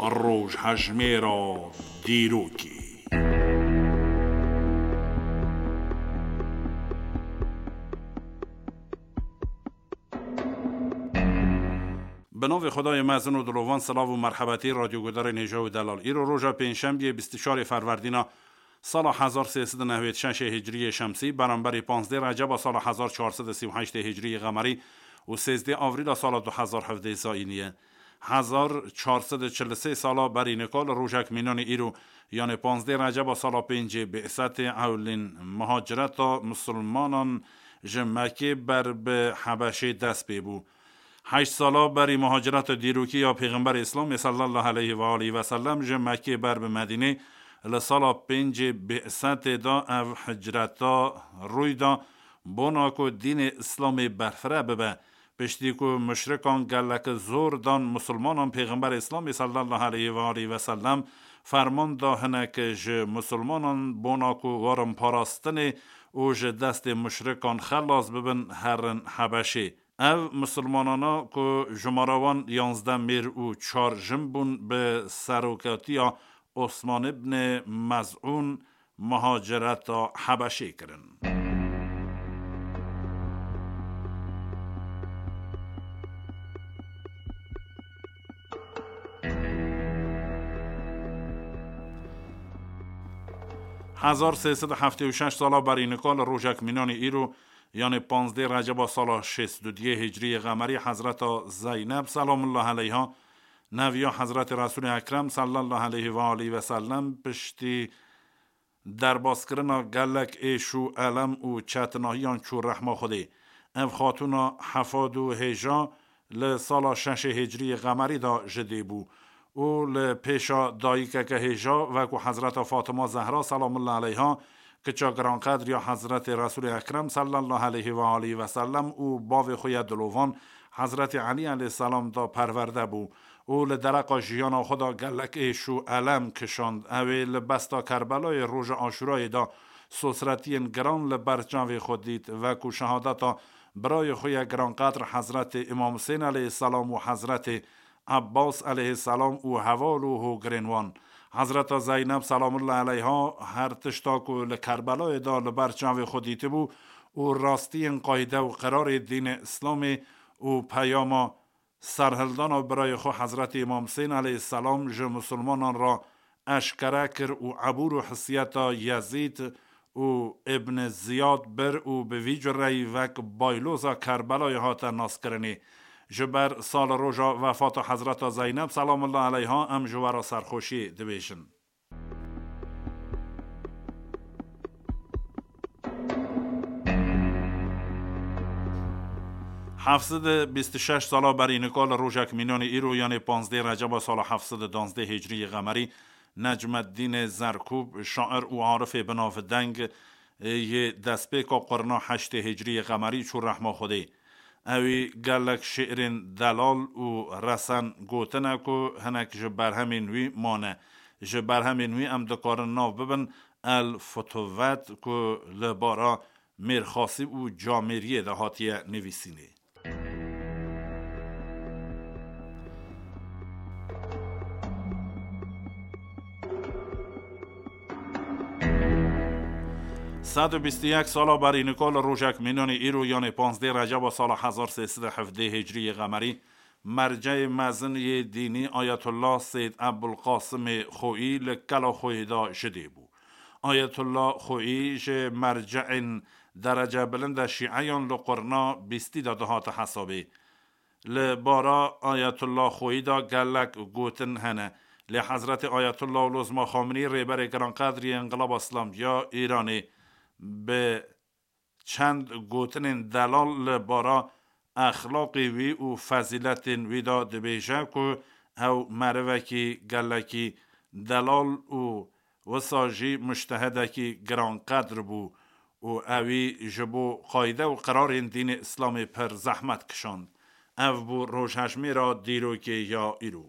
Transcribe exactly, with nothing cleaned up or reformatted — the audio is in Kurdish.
Rojhejmêra dîrokê. Bi navê Xwedayê mezin û dilovan, silav û merhebetî radyoguhdarên hêja û delal. Îro roja pêncşembiyê bîst û çarê Ferwerdîna sala hezar sê sed û newêd şeşê Hicriyê Şemsî, beramberî panzdeh Receba sala hezar çar sed û sî û heştê Hicriyê Qemerî û sêzdeh Avrîla sala du hezar hevdeh Zayînî ye. Hezar çar sed û çil û sê sala berî nika li rojek mînanê îro, yanê panzdeh Receba sala pêncê Bi'setê, ewlîn muhacireta misilmanan ji Mekkê ber bi Hebeşê dest pê bû. Heşt sala berî muhacireta dîrokî ya Pêxemberê Îslamê sallallahu aleyhi ve aleyhi ve sellem ji Mekkê ber bi Medînê, li sala pêncê Bi'setê de ev hicreta rûy da, bona ku dînê Îslamê berfireh bibe. Piştî ku muşrikan gelek zor dan misilmanan, Pêxemberê Îslamê sallallahu aleyhi ve aleyhi ve sellem ferman da hinek ji misilmanan, bona ku werin parastinê û ji destê muşrikan xelas bibin, herin Hebeşê. Ev misilmanana ku jumara wan yanzdeh mêr û çar jin bûn, bi serokatiya Osman ibn Mez'ûn muhacireta Hebeşê kirin. Hezar sê sed û heftê û şeş sala berî nika li rojek mînanê îro, yanê panzdeh Receba sala şêst û duyê Hicriyê Qemerî, Hezreta Zeyneb selamullah aleyha, neviya Hezretê Resûlê Ekrem sallallahu aleyhi ve aleyhi ve sellem, piştî derbaskirina gelek êş û elem û çetinahiyan çû rehma Xwedê. Ev xatûna hefad û hêja li sala şeşê Hicriyê Qemerî de ji dê bû û li pêşa dayikeke hêja, wekû Hezreta Fatima Zehra selamullah aleyha, kiça giranqedr ya Hezretê Resûlê Ekrem sallallahu aleyhi ve aleyhi ve sellem û bavê xwe ya dilovan Hezretê Elî aleyhisselam de perwerde bû û li dereqa jiyana xwe de gelek êş û elem kişand. Ew ê li besta Kerbelayê roja Aşûrayê de sosretiyên giran li ber çavê xwe dît, wekû şehadeta birayê xwe ya giranqedr Hezretê Îmam Husên aleyhisselam û Hezretê Ebbas aleyhisselam û heval û hogirên wan. Hezreta Zeyneb selamullah aleyha her tişta ku li Kerbelayê de li ber çavê xwe dîtibû û rastiyên qayde û qirarê dînê Îslamê û peyama serhildana birayê xwe Hezretî Îmam Husên aleyhisselam ji misilmanan re eşkere kir û ebûr û hissiyeta Yezîd û Ibn Ziyad bir û bi vî cureyî wek bayloza Kerbelayê hate naskirinê. Ji ber sal roja wefata Hezreta Zeyneb selamullah aleyha em ji we re serxweşiyê dibêjin. Heft sed û bîst û şeş sala berî nika li rojek mînanê îro, yanê panzdeh Receba sala heft sed û danzdeh Hicriyê Qemerî, Necmeddînê Zerkûb, şair û arifê binavdeng, yê destpêka qurna heştê Hicriyê Qemerî çû rehma Xwedê. Ewî gelek şi'rên delal û resen gotine ku hinek ji berhemên wî mane. Ji berhemên wî em dikarin nav bibin El Futuvet ku li bara mêrxasî û camêriyê de hatiye nivîsînê. Sed û bîst û yek sala berî nika li rojek mînanê îro, yanê panzdeh Receba sala hezar sê sed û hevdeh Hicriyê Qemerî, merceyê mezin yê dînî Ayetullah Seyd Ebulqasimê Xoyî li kela Xoyê de ji dê bû. Ayetullah Xoyî ji merceên derecebilind e şîeyan li qurna bîstî de dihate hesabê. Li bara Ayetullah Xoyî de gelek gotin hene. Lê Hezretê Ayetullah Ulozma Xamenî, rêberê giranqedr yê Înqilaba Îslamî ya Îranê, bi çend gotinên delal li bara exlaqê wî û fezîletên wî de dibêje ku ew merivekî gelekî delal û wisa jî mujtehidekî giranqedr bû û ewî ji bo qayde û qirarên dînê Îslamê pir zehmet kişand. Ev bû rojhejmêra dîrokê ya îro.